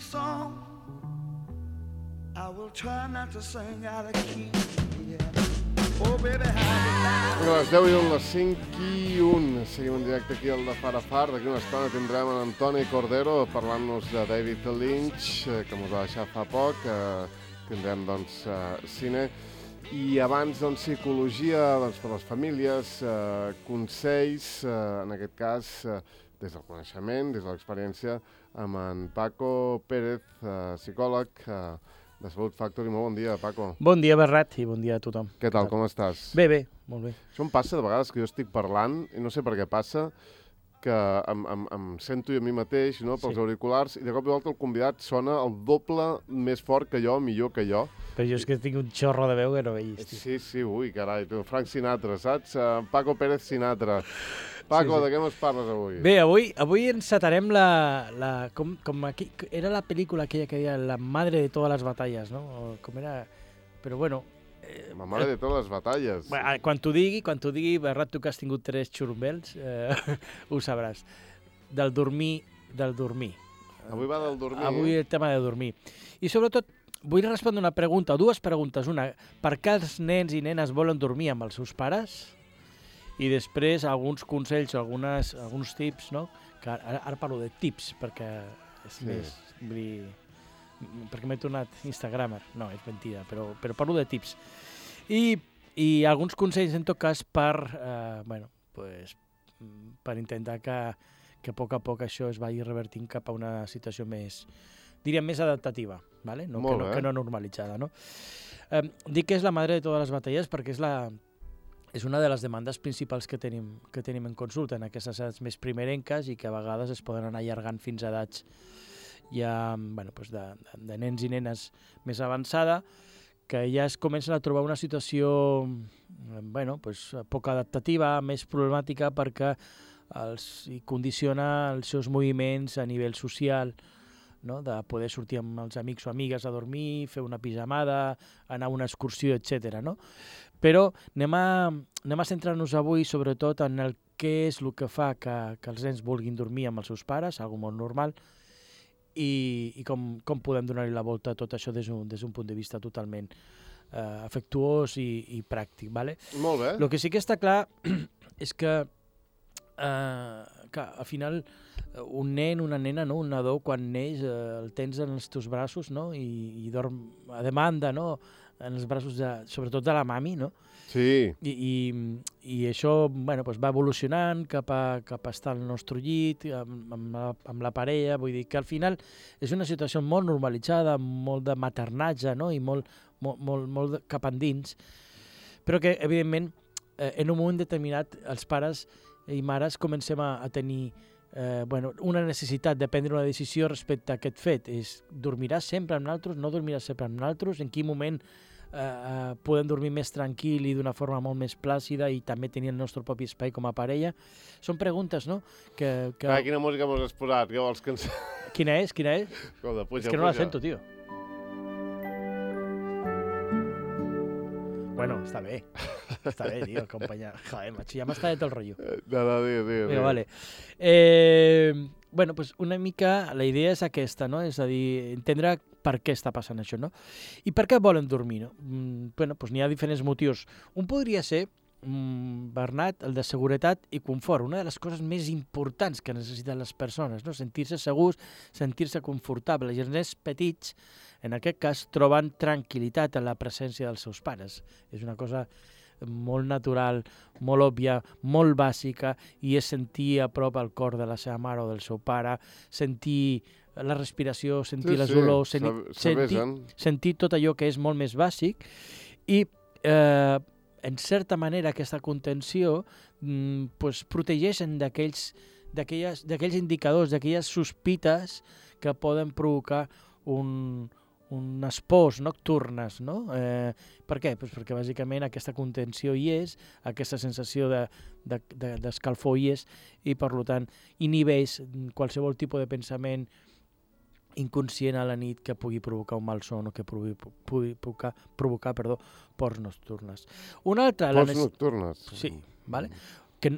song I will try not to sing out of key. Oh, baby, a les 10 i 1, les 5 i 1. Seguim en directe aquí al de Far a Far. D'aquí una estona tindrem en Antoni Cordero parlant-nos de David Lynch, que ens va deixar fa poc. Tindrem, doncs, cine. I abans, doncs, psicologia per les famílies, consells, en aquest cas, des del coneixement, des de l'experiència, amb en Paco Pérez, psicòleg, de Salut Factory. Molt bon dia, Paco. Bon dia, Bernat, i bon dia a tothom. Què tal, com estàs? Bé, molt bé. Això em passa de vegades que jo estic parlant, i no sé per què passa, que em sento jo a mi mateix, no, pels auriculars, i de cop i volta el convidat sona el doble més fort que jo, millor que jo. Però jo és que tinc un xorro de veu que no veig. Sí, ui, carai, tu, Frank Sinatra, saps? Paco Pérez Sinatra. Paco, de què ens parles avui? Bé, avui encetarem com aquí, era la pel·lícula aquella que deia La madre de todas las batallas, no? O com era... Però bueno... La madre de todas las batallas. Quan t'ho digui, Bernat, tu que has tingut 3 xurumbels, ho sabràs. Del dormir. Avui va del dormir. Avui el tema de dormir. I sobretot, vull respondre una pregunta, o dues preguntes. Una, per què els nens i nenes volen dormir amb els seus pares? I després alguns consells o alguns tips, no? Que ara parlo de tips, perquè és més... Vull dir, perquè m'he tornat instagramer. No, és mentida, però parlo de tips. I alguns consells, en tot cas, per intentar que a poc això es vagi revertint cap a una situació més, diríem, més adaptativa, ¿vale? Que no normalitzada, no? Dic que és la madre de totes les batalles perquè és una de les demandes principals que tenim en consulta en aquestes edats més primerenques i que a vegades es poden anar allargant fins a edats ja de nens i nenes més avançada, que ja es comencen a trobar una situació poc adaptativa, més problemàtica perquè hi condiciona els seus moviments a nivell social, no? De poder sortir amb els amics o amigues a dormir, fer una pijamada, anar a una excursió, etc. No? Però anem a centrar-nos avui sobretot en el què és el que fa que els nens vulguin dormir amb els seus pares, algo molt normal, i com podem donar-hi la volta a tot això des d'un punt de vista totalment afectuós i pràctic. ¿Vale? Molt bé. El que sí que està clar és que al final un nen, una nena, no? Un nadó, quan neix, el tens en els teus braços, no? I dorm a demanda, no? En els braços sobretot de la mami, no? Sí. I això va evolucionant cap a estar al nostre llit, amb la parella, vull dir que al final és una situació molt normalitzada, molt de maternatge, no? I molt cap endins, però que evidentment en un moment determinat els pares i mares comencem a tenir una necessitat de prendre una decisió respecte a aquest fet. Dormiràs sempre amb nosaltres, no dormiràs sempre amb nosaltres, en quin moment podem dormir més tranquil i d'una forma molt més plàcida i també tenir el nostre propi espai com a parella. Són preguntes, no? Quina música m'has posat? Què vols que ens... Quina és? Escolta, puja. És que no la sento, tio. Bueno, està bé, tio, acompanyar. Joder, macho, ja m'està de tot el rotllo. No, digue. Vale. Una mica la idea és aquesta, no? És a dir, entendre per què està passant això, no? I per què volen dormir, no? N'hi ha diferents motius. Un podria ser, Bernat, el de seguretat i confort. Una de les coses més importants que necessiten les persones, no? Sentir-se segurs, sentir-se confortables. I els nens petits, en aquest cas, troben tranquil·litat en la presència dels seus pares. És una cosa molt natural, molt òbvia, molt bàsica, i és sentir a prop el cor de la seva mare o del seu pare, sentir la respiració, sentir les olors, sentir tot allò que és molt més bàsic, i en certa manera aquesta contenció protegeixen d'aquells indicadors, d'aquelles sospites que poden provocar unes pors nocturnes, no? Per què? Perquè bàsicament aquesta contenció hi és, aquesta sensació d'escalfor hi és, i per tant inhibeix qualsevol tipus de pensament inconscient a la nit que pugui provocar un malson o que pugui provocar pors nocturnes. Una altra... Pors nocturnes? Sí, vale?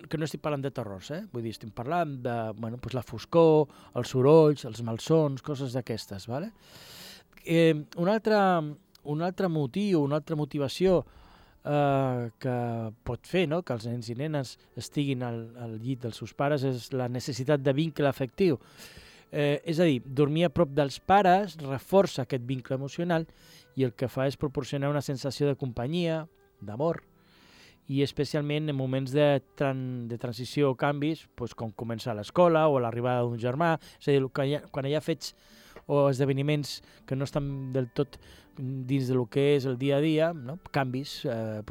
que no estic parlant de terrors, vull dir, estic parlant de pues la foscor, els sorolls, els malsons, coses d'aquestes. Vale? Un altre motiu, una altra motivació que pot fer, no?, que els nens i nenes estiguin al llit dels seus pares és la necessitat de vincle afectiu. És a dir, dormir a prop dels pares reforça aquest vincle emocional i el que fa és proporcionar una sensació de companyia, d'amor, i especialment en moments de transició o canvis, com començar a l'escola o l'arribada d'un germà, és a dir, quan hi ha fets o esdeveniments que no estan del tot dins del que és el dia a dia, no? Canvis, el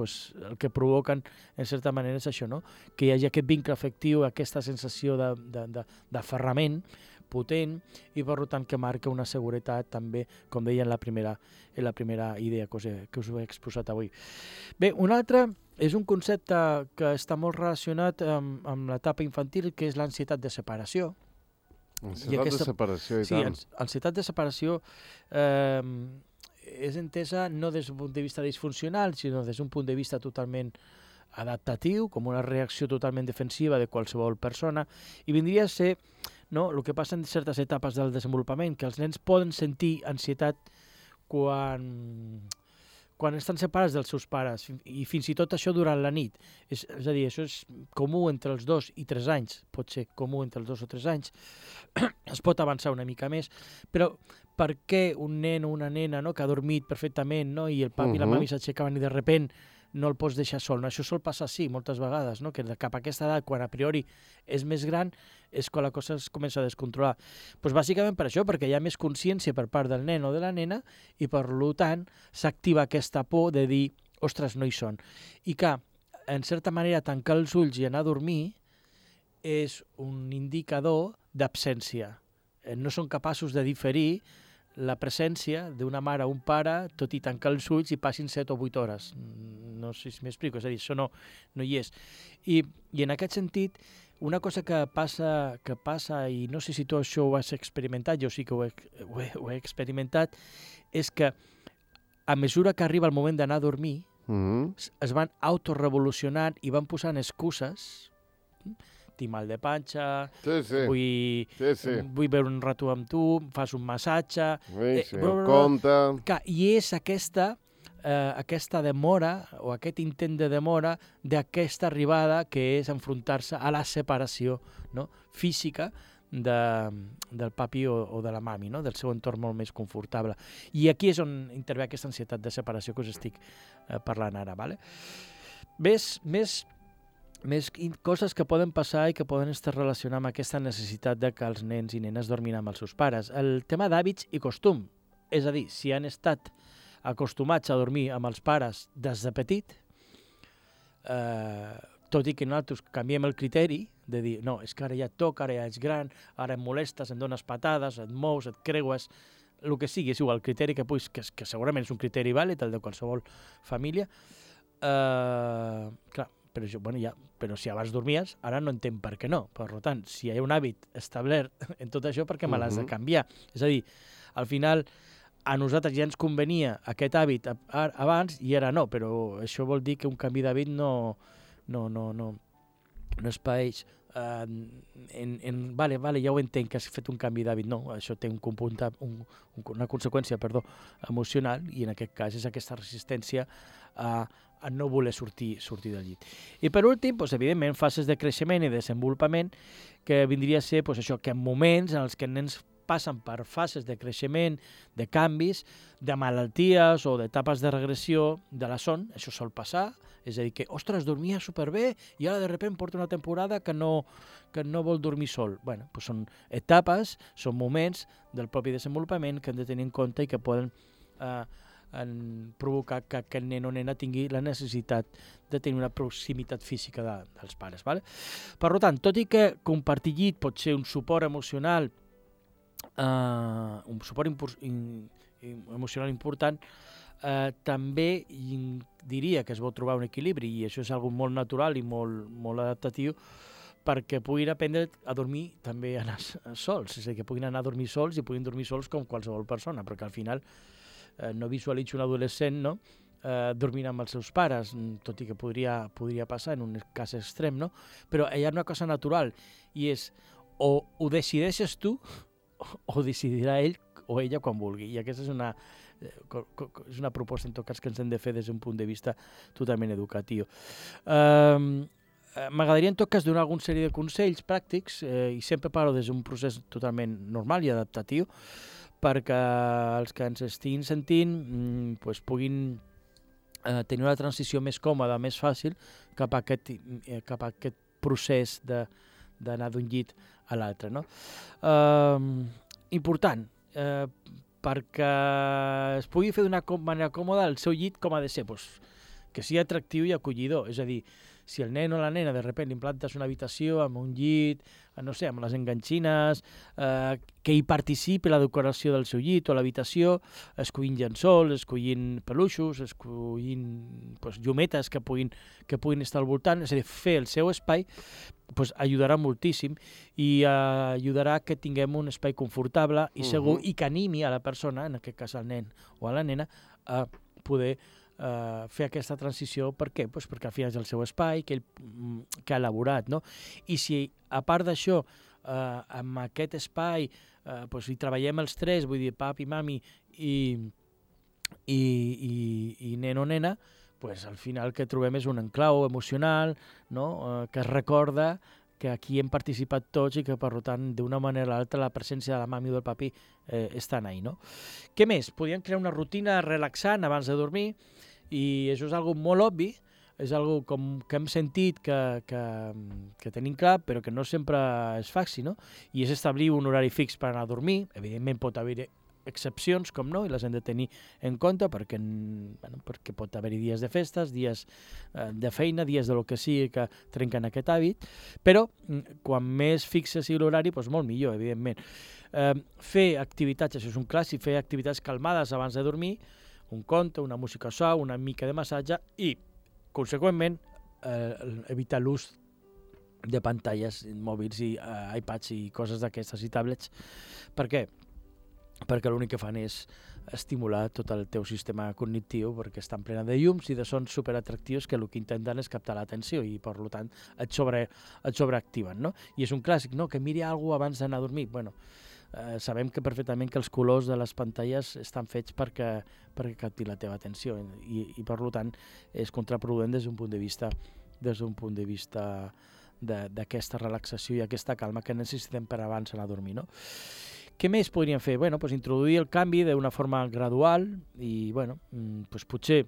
que provoquen, en certa manera, és això, no? Que hi hagi aquest vincle afectiu, aquesta sensació d'aferrament potent i, per tant, que marca una seguretat també, com deia en la primera idea que us he exposat avui. Bé, un altre és un concepte que està molt relacionat amb l'etapa infantil, que és l'ansietat de separació. Ansietat de separació, i tant. Sí, ansietat de separació és entesa no des d'un punt de vista disfuncional, sinó des d'un punt de vista totalment adaptatiu, com una reacció totalment defensiva de qualsevol persona, i vindria a ser el que passa en certes etapes del desenvolupament, que els nens poden sentir ansietat quan estan separats dels seus pares, i fins i tot això durant la nit. És a dir, això és comú entre els 2 i 3 anys, pot ser comú entre els 2 o 3 anys, es pot avançar una mica més, però per què un nen o una nena que ha dormit perfectament i el papi i la mami s'aixecaven i de sobte no el pots deixar sol? Això sol passar sí, moltes vegades, que cap a aquesta edat, quan a priori és més gran, és quan la cosa es comença a descontrolar. Bàsicament per això, perquè hi ha més consciència per part del nen o de la nena i per tant s'activa aquesta por de dir, ostres, no hi són. I que, en certa manera, tancar els ulls i anar a dormir és un indicador d'absència. No són capaços de diferir la presència d'una mare o un pare, tot i tancar els ulls i passin 7 o 8 hores. No sé si m'explico, és a dir, això no hi és. I en aquest sentit, una cosa que passa, i no sé si tu això ho has experimentat, jo sí que ho he experimentat, és que a mesura que arriba el moment d'anar a dormir, es van autorevolucionant i van posant excuses. Tinc mal de panxa, vull veure un rato amb tu, fas un massatge... compte... I és aquesta demora o aquest intent de demora d'aquesta arribada que és enfrontar-se a la separació física del papi o de la mami, del seu entorn molt més confortable. I aquí és on intervé aquesta ansietat de separació que us estic parlant ara. Més coses que poden passar i que poden estar relacionades amb aquesta necessitat de que els nens i nenes dormin amb els seus pares. El tema d'hàbits i costum, és a dir, si han estat acostumats a dormir amb els pares des de petit, tot i que nosaltres canviem el criteri de dir, no, és que ara ja et toca, ara ja ets gran, ara em molestes, em dones patades, et mous, et creues, el que sigui, és igual, el criteri que segurament és un criteri vàlid, el de qualsevol família, clar, però si abans dormies, ara no entenc per què no. Per tant, si hi ha un hàbit establert en tot això, per què me l'has de canviar? És a dir, al final, a nosaltres ja ens convenia aquest hàbit abans i ara no, però això vol dir que un canvi d'hàbit no es paeix. Vale, ja ho entenc que has fet un canvi d'hàbit. No, això té una conseqüència emocional i en aquest cas és aquesta resistència a no voler sortir del llit. I per últim, evidentment, fases de creixement i desenvolupament, que vindria a ser això, que en moments en els que els nens passen per fases de creixement, de canvis, de malalties o d'etapes de regressió de la son, això sol passar, és a dir, que, ostres, dormia superbé i ara de sobte porta una temporada que no vol dormir sol. Bé, són etapes, són moments del propi desenvolupament que hem de tenir en compte i que poden provocar que aquest nen o nena tingui la necessitat de tenir una proximitat física dels pares. Per tant, tot i que compartir llit pot ser un suport emocional emocional important, també diria que es vol trobar un equilibri i això és algo molt natural i molt adaptatiu perquè puguin aprendre a dormir també anar sols, és a dir, que puguin anar a dormir sols i puguin dormir sols com qualsevol persona, perquè al final no visualitzo un adolescent dormint amb els seus pares, tot i que podria passar en un cas extrem, no? Però hi ha una cosa natural, i és o ho decideixes tu o decidirà ell o ella quan vulgui. I aquesta és una proposta, en tot cas, que ens hem de fer des d'un punt de vista totalment educatiu. M'agradaria, en tot cas, donar alguna sèrie de consells pràctics, i sempre parlo des d'un procés totalment normal i adaptatiu, perquè els que ens estiguin sentint puguin tenir una transició més còmoda, més fàcil, cap a aquest procés d'anar d'un llit a l'altre. No? Important, perquè es pugui fer d'una manera còmoda el seu llit, com ha de ser, que sigui atractiu i acollidor. És a dir, si el nen o la nena de sobte implantes una habitació amb un llit, no sé, amb les enganxines, que hi participi la decoració del seu llit o l'habitació, escollint llençols, escollint peluixos, escollint llumetes que puguin estar al voltant, és a dir, fer el seu espai, ajudarà moltíssim i ajudarà que tinguem un espai confortable i segur i que animi a la persona, en aquest cas al nen o a la nena, a poder fer aquesta transició. Per què? Perquè al final és el seu espai que ha elaborat, no? I si a part d'això amb aquest espai hi treballem els tres, vull dir papi, mami i nen o nena, al final el que trobem és un enclau emocional, no? Que es recorda que aquí hem participat tots i que, per tant, d'una manera o l'altra, la presència de la mami o del papi estan ahí, no? Què més? Podríem crear una rutina relaxant abans de dormir, i això és algo molt obvi, és algo que hem sentit que tenim clar, però que no sempre és fàcil, no? I és establir un horari fix per anar a dormir. Evidentment pot haver excepcions, com no, i les hem de tenir en compte perquè pot haver-hi dies de festes, dies de feina, dies de lo que sigui que trenquen aquest hàbit, però quan més fixe sigui l'horari, molt millor, evidentment. Fer activitats, això és un clàssic, fer activitats calmades abans de dormir, un conte, una música suau, una mica de massatge i, conseqüentment, evitar l'ús de pantalles mòbils i iPads i coses d'aquestes i tablets. Per què? Perquè l'únic que fan és estimular tot el teu sistema cognitiu, perquè estan plena de llums i de sons superatractius que el que intenten és captar l'atenció i, per tant, et sobreactiven, no? I és un clàssic, no?, que miri alguna cosa abans d'anar a dormir. Sabem que perfectament que els colors de les pantalles estan fets perquè capti la teva atenció i per tant és contraproduent des d'un punt de vista d'aquesta relaxació i aquesta calma que necessitem per abans anar a dormir, no? Què més podríem fer? Introduir el canvi d'una forma gradual i, potser,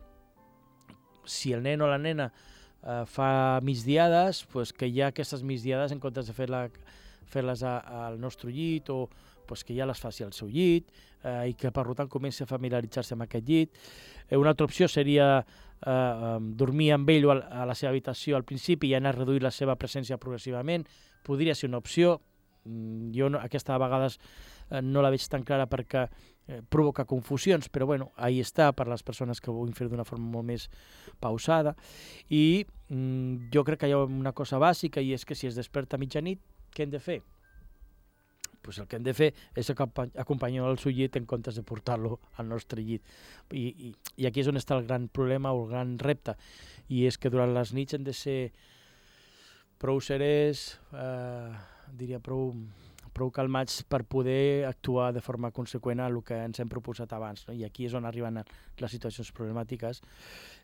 si el nen o la nena fa migdiades, que hi ha aquestes migdiades en comptes de fer-les al nostre llit o que ja les faci al seu llit i que, per tant, comenci a familiaritzar-se amb aquest llit. Una altra opció seria dormir amb ell a la seva habitació al principi i anar a reduir la seva presència progressivament. Podria ser una opció. Jo aquesta a vegades no la veig tan clara perquè provoca confusions, però ahí està per les persones que vulguin fer d'una forma molt més pausada. I jo crec que hi ha una cosa bàsica i és que si es desperta a mitjanit, què hem de fer? El que hem de fer és acompanyar el seu llit en comptes de portar-lo al nostre llit. I aquí és on està el gran problema o el gran repte, i és que durant les nits hem de ser prou serès, diria prou calmats per poder actuar de forma conseqüent a el que ens hem proposat abans, no? I aquí és on arriben les situacions problemàtiques,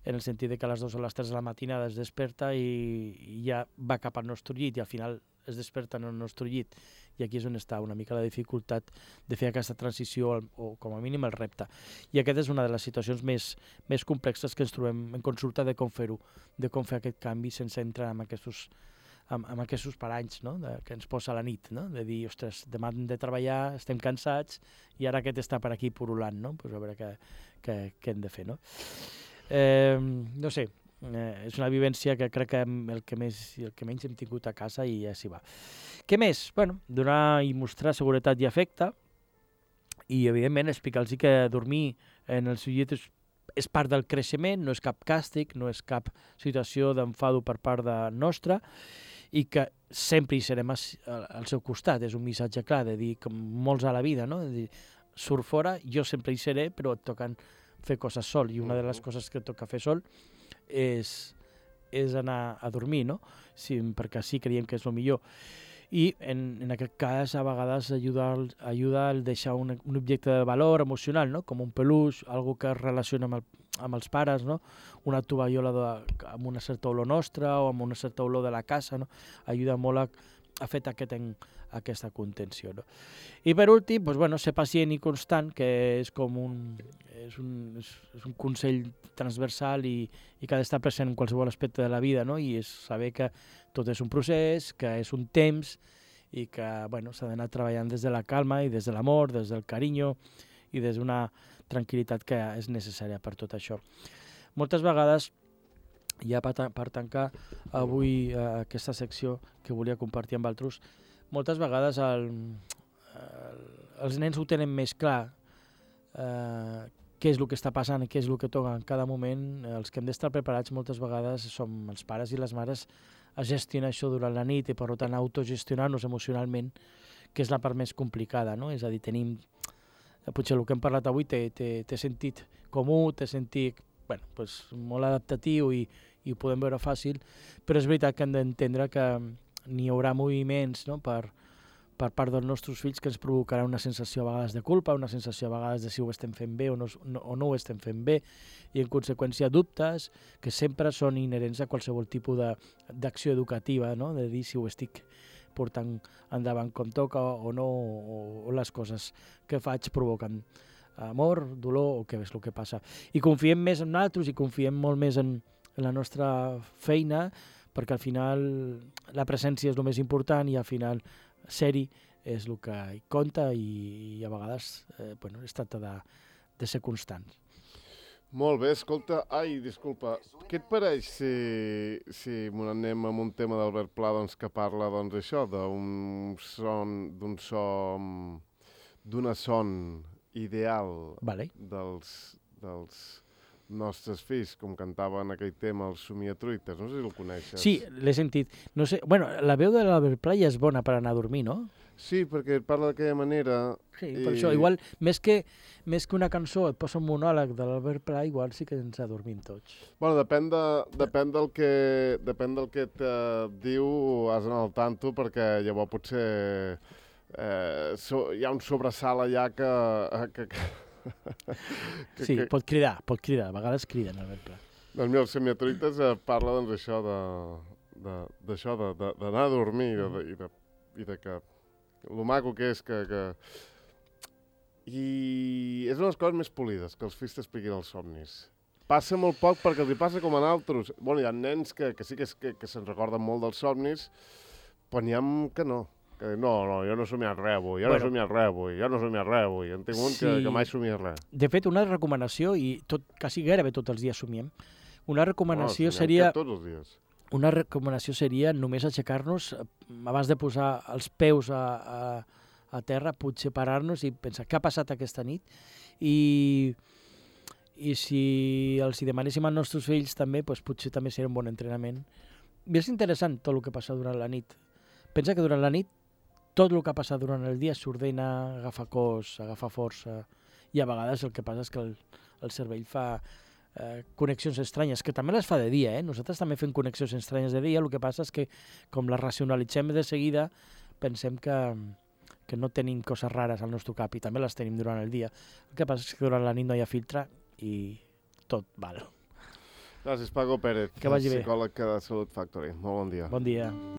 en el sentit que a les 2 o les 3 de la matinada es desperta i ja va cap al nostre llit i al final es desperta en el nostre llit, i aquí és on està una mica la dificultat de fer aquesta transició o com a mínim el repte. I aquesta és una de les situacions més complexes que ens trobem en consulta de com fer-ho, de com fer aquest canvi sense entrar en aquests paranys, no?, que ens posa la nit, no?, de dir, ostres, demà hem de treballar, estem cansats i ara aquest està per aquí purulant, no?, a veure què hem de fer, no? No sé, és una vivència que crec que el que menys hem tingut a casa i ja s'hi va. Què més? Donar i mostrar seguretat i afecte i, evidentment, explicar-los que dormir en el seu llit és part del creixement, no és cap càstig, no és cap situació d'enfado per part nostra i que sempre hi serem al seu costat. És un missatge clar de dir, com molts a la vida, no? De dir, surt fora, jo sempre hi seré, però et fer coses sol, i una de les coses que toca fer sol és anar a dormir, no? Sí, perquè sí creiem que és el millor. I en aquest cas a vegades ajuda el deixar un objecte de valor emocional, no? Com un peluix, algo que es relaciona amb els pares, no? Una tovallola amb una certa olor nostra o amb una certa olor de la casa, no? Ajuda molt a fer aquesta contenció, no? I per últim, doncs, bueno, ser pacient i constant, que és com és un consell transversal i que ha d'estar present en qualsevol aspecte de la vida, no? I és saber que tot és un procés, que és un temps i que bueno, s'ha d'anar treballant des de la calma i des de l'amor, des del carinyo i des d'una tranquil·litat que és necessària per tot això. Moltes vegades, ja per tancar avui aquesta secció que volia compartir amb altres, moltes vegades els nens ho tenen més clar, què és el que està passant i què és el que toca en cada moment. Els que hem d'estar preparats moltes vegades som els pares i les mares a gestionar això durant la nit i per tant autogestionar-nos emocionalment, que és la part més complicada, no? És a dir, tenim, potser el que hem parlat avui té sentit comú, té sentit molt adaptatiu i ho podem veure fàcil, però és veritat que hem d'entendre que n'hi haurà moviments, no? per part dels nostres fills que ens provocarà una sensació a vegades de culpa, una sensació a vegades de si ho estem fent bé o no ho estem fent bé, i en conseqüència dubtes que sempre són inherents a qualsevol tipus d'acció educativa, no? De dir si ho estic portant endavant com toca o no, o les coses que faig provoquen amor, dolor o què és el que passa. I confiem més en nosaltres i confiem molt més en la nostra feina, perquè al final la presència és el més important i al final ser-hi és el que hi compta i a vegades es tracta de ser constants. Molt bé, escolta, disculpa, què et pareix si anem amb un tema d'Albert Pla que parla això, d'una son ideal dels nostres fills, com cantava en aquell tema els Somiatruites, no sé si el coneixes. Sí, l'he sentit. No sé, la veu de l'Albert Pla ja és bona per anar a dormir, no? Sí, perquè parla d'aquella manera. Sí, per això, igual, més que una cançó et posa un monòleg de l'Albert Pla, igual sí que ens adormim tots. Bueno, depèn del que et diu, has d'anar al tanto, perquè llavors potser hi ha un sobresalt allà que sí, pot cridar, a vegades criden Albert Pla. Doncs mira, els Somiatruites parla això d'anar a dormir i de que el maco que és que... I és una de les coses més polides, que els fills t'expliquin els somnis. Passa molt poc perquè els hi passa com a altres. Bueno, hi ha nens que sí que se'n recorden molt dels somnis, però n'hi ha que no. Que no, jo no he somiat res avui, jo no he somiat res avui. En tinc un que mai somia res. De fet, una recomanació, i quasi gairebé tots els dies somiem, una recomanació seria... Tots els dies. Una recomanació seria només aixecar-nos, abans de posar els peus a terra, potser parar-nos i pensar què ha passat aquesta nit i si els hi demanéssim als nostres fills també, doncs potser també seria un bon entrenament. I és interessant tot el que passa durant la nit. Pensa que durant la nit tot el que ha passat durant el dia s'ordena, agafa cos, agafa força, i a vegades el que passa és que el cervell fa connexions estranyes, que també les fa de dia, Nosaltres també fem connexions estranyes de dia, el que passa és que com les racionalitzem de seguida, pensem que no tenim coses rares al nostre cap i també les tenim durant el dia. El que passa és que durant la nit no hi ha filtre i tot val. Gràcies, Paco Pérez, que vagi bé. Psicòleg de Salut Factory. Molt bon dia. Bon dia.